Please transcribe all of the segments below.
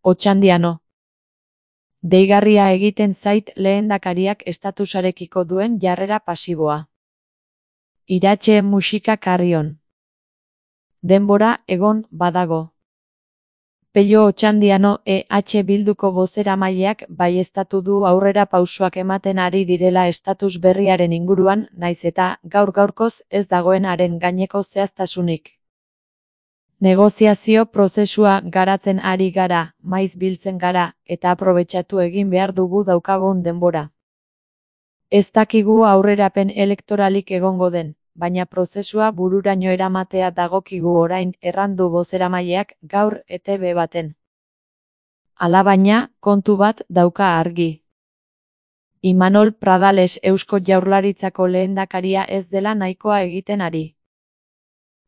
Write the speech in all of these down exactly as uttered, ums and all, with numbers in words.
Otxandiano. Deigarria egiten zait lehendakariak estatusarekiko duen jarrera pasiboa. Iratxe musika karrion. Denbora egon badago. Pello Otxandiano E H Bilduko bozeramaileak baieztatu du aurrera pausoak ematen ari direla estatus berriaren inguruan, naiz eta gaur-gaurkoz ez dagoen haren gaineko zehaztasunik. Negoziazio prozesua garatzen ari gara, maiz biltzen gara, eta aprobetxatu egin behar dugu daukagun denbora. Ez dakigu aurrerapen elektoralik egongo den, baina prozesua bururaino eramatea dagokigu orain, errandu bozeramaileak gaur E T B baten. Alabaina, kontu bat dauka argi. Imanol Pradales Eusko Jaurlaritzako lehendakaria ez dela nahikoa egiten ari.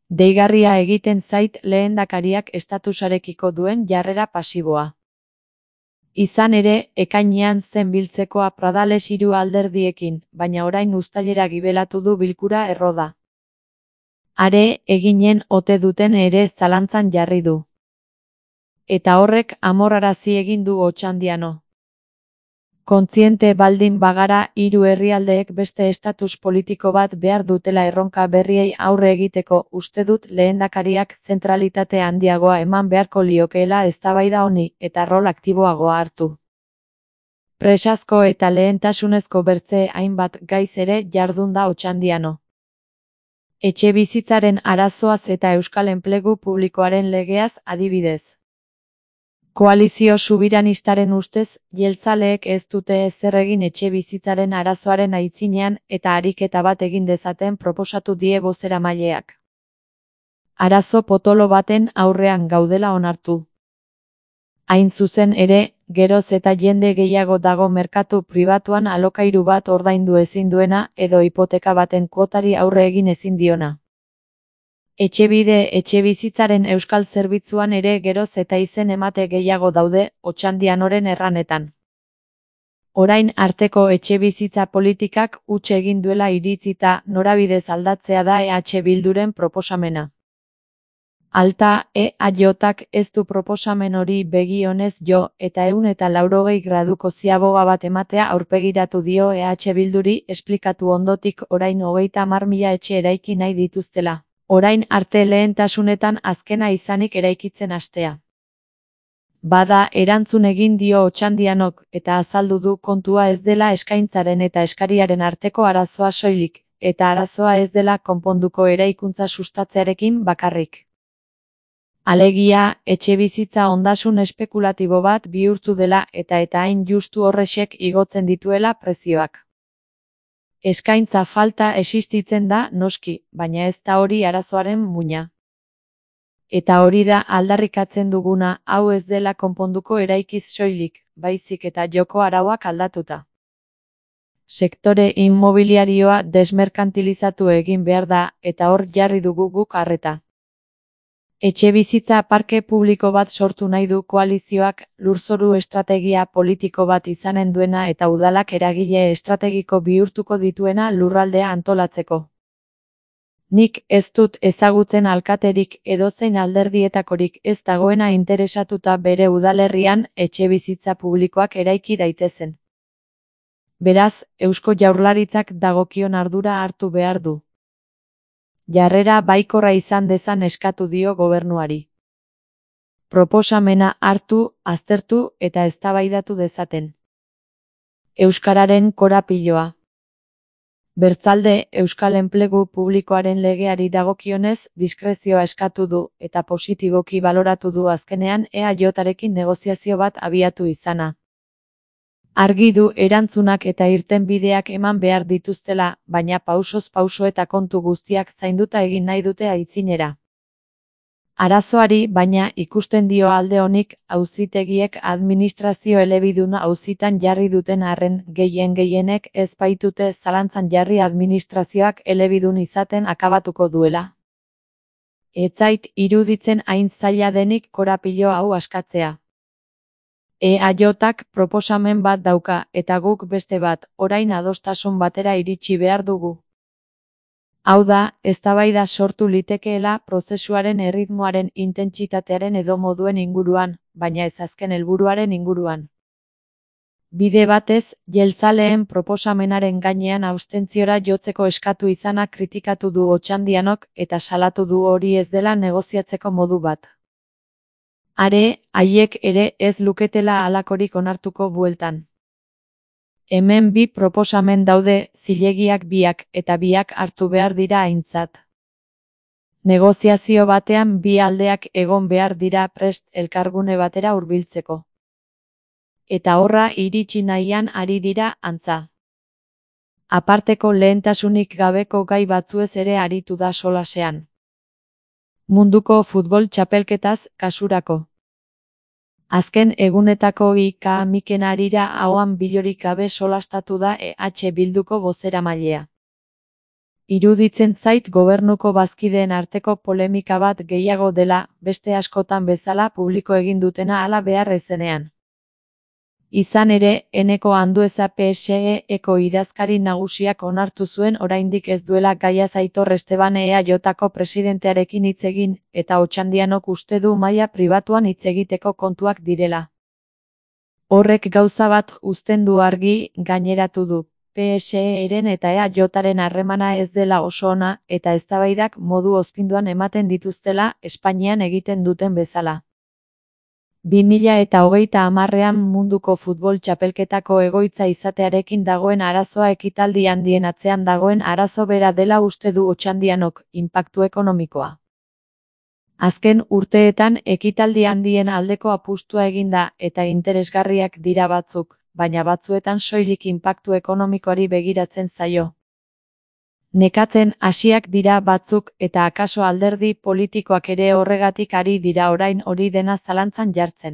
Deigarria egiten zait lehendakariak estatusarekiko duen jarrera pasiboa. Izan ere, ekainean zen biltzekoa Pradales hiru alderdiekin, baina orain uztailera gibelatu du bilkura erroda. Are, eginen ote duten ere zalantzan jarri du. Eta horrek amorrarazi egin du Otxandiano. Kontziente baldin bagara hiru herrialdeek beste estatus politiko bat behar dutela erronka berriei aurre egiteko, uste dut lehendakariak zentralitate handiagoa eman beharko liokeela eztabaida honi eta rol aktiboagoa hartu. Presazko eta lehentasunezko bertze hainbat gaiz ere jardun da Otxandiano. Etxebizitzaren arazoaz eta euskal enplegu publikoaren legeaz adibidez. Koalizio subiranistaren ustez, jeltzaleek ez dute ezer egin etxebizitzaren arazoaren aitzinean eta ariketa bat egin dezaten proposatu die bozeramaileak. Arazo potolo baten aurrean gaudela onartu. Hain zuzen ere, geroz eta jende gehiago dago merkatu pribatuan alokairu bat ordaindu ezin duena edo hipoteka baten kuotari aurre egin ezin diona. Etxebide etxebizitzaren euskal zerbitzuan ere geroz eta izen emate gehiago daude, Otxandianoren erranetan. Orain arteko etxebizitza politikak huts egin duela iritzita norabidez aldatzea da E H Bilduren proposamena. Alta, E H-ak ez du proposamen hori begi onez jo, eta ehun eta laurogei graduko ziaboga bat ematea aurpegiratu dio E H Bilduri esplikatu ondotik orain hogeita hamar mila etxe eraiki nahi dituztela. Orain arte lehentasunetan azkena izanik eraikitzen hastea. Bada, erantzun egin dio Otxandianok, eta azaldu du kontua ez dela eskaintzaren eta eskariaren arteko arazoa soilik, eta arazoa ez dela konponduko eraikuntza sustatzearekin bakarrik. Alegia, etxebizitza ondasun espekulatibo bat bihurtu dela eta eta hain justu horrexek igotzen dituela prezioak. Eskaintza falta existitzen da noski, baina ez da hori arazoaren muina. Eta hori da aldarrikatzen duguna, hau ez dela konponduko eraikiz soilik, baizik eta joko arauak aldatuta. Sektore inmobiliarioa desmerkantilizatu egin behar da, eta hor jarri dugu guk arreta. Etxebizitza parke publiko bat sortu nahi du koalizioak, lurzoru estrategia politiko bat izanen duena eta udalak eragile estrategiko bihurtuko dituena lurraldea antolatzeko. Nik ez dut ezagutzen alkaterik edozein alderdietakorik ez dagoena interesatuta bere udalerrian etxebizitza publikoak eraiki daitezen. Beraz, Eusko Jaurlaritzak dagokion ardura hartu behar du. Jarrera baikorra izan dezan eskatu dio gobernuari. Proposamena hartu, aztertu eta eztabaidatu dezaten. Euskararen korapiloa. Bertzalde, Euskal Enplegu Publikoaren legeari dagokionez diskrezioa eskatu du eta positiboki baloratu du azkenean E H-arekin negoziazio bat abiatu izana. Argi du erantzunak eta irtenbideak eman behar dituztela, baina pausoz pauso eta kontu guztiak zainduta egin nahi dute aitzinera. Arazoari baina ikusten dio alde honik auzitegiek administrazio elebiduna auzitan jarri duten arren gehien gehienek ez baitute zalantzan jarri administrazioak elebidun izaten akabatuko duela. Ez zait iruditzen hain zaila denik korapilo hau askatzea. E H-ak proposamen bat dauka eta guk beste bat, orain adostasun batera iritsi behar dugu. Hau da, eztabaida sortu litekeela prozesuaren erritmoaren intentsitatearen edo moduen inguruan, baina ez azken helburuaren inguruan. Bide batez, jeltzaleen proposamenaren gainean abstentziora jotzeko eskatu izana kritikatu du Otxandianok eta salatu du hori ez dela negoziatzeko modu bat. Are, haiek ere ez luketela halakorik onartuko bueltan. Hemen bi proposamen daude, zilegiak biak, eta biak hartu behar dira aintzat. Negoziazio batean bi aldeak egon behar dira prest elkargune batera hurbiltzeko. Eta horra iritsi nahian ari dira, antza. Aparteko lehentasunik gabeko gai batzuez ere aritu da solasean. Munduko futbol txapelketaz, kasurako. Azken egunetako I K Miken Arira ahoan bilorik gabe solastatu da E H Bilduko bozeramailea. Iruditzen zait gobernuko bazkideen arteko polemika bat gehiago dela, beste askotan bezala publiko egin dutena hala behar ezenean. Izan ere, Eneko Andueza P S E-eko idazkari nagusiak onartu zuen oraindik ez duela gaiaz Aitor Esteban E A Jko presidentearekin hitz egin, eta Otxandianok uste du maila pribatuan hitz egiteko kontuak direla. Horrek gauza bat uzten du argi, gaineratu du, P S E-ren eta E A Jaren harremana ez dela oso ona, eta eztabaidak modu ozpinduan ematen dituztela, Espainian egiten duten bezala. bi mila eta hogeita hamarrean munduko futbol txapelketako egoitza izatearekin dagoen arazoa ekitaldi handien atzean dagoen arazo bera dela uste du Otxandianok, inpaktu ekonomikoa. Azken urteetan ekitaldi handien aldeko apustua eginda eta interesgarriak dira batzuk, baina batzuetan soilik inpaktu ekonomikoari begiratzen zaio. Nekatzen hasiak dira batzuk eta akaso alderdi politikoak ere horregatik ari dira orain hori dena zalantzan jartzen.